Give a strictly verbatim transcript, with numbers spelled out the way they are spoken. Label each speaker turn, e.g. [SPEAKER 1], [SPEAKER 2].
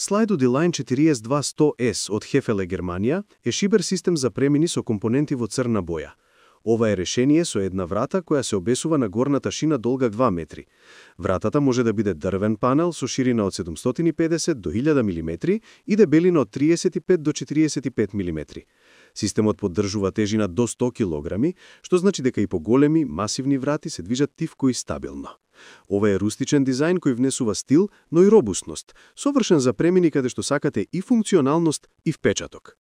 [SPEAKER 1] Slide D-Line четириесет два сто ес од Hefele Германија е шибер систем за премини со компоненти во црна боја. Ова е решение со една врата која се обесува на горната шина долга два метри. Вратата може да биде дрвен панел со ширина од седумстотини и педесет до илјада милиметри и дебелина од триесет и пет до четириесет и пет милиметри. Системот поддржува тежина до сто килограми, што значи дека и поголеми, масивни врати се движат тивко и стабилно. Ова е рустичен дизајн кој внесува стил, но и робусност, совршен за премини каде што сакате и функционалност и впечаток.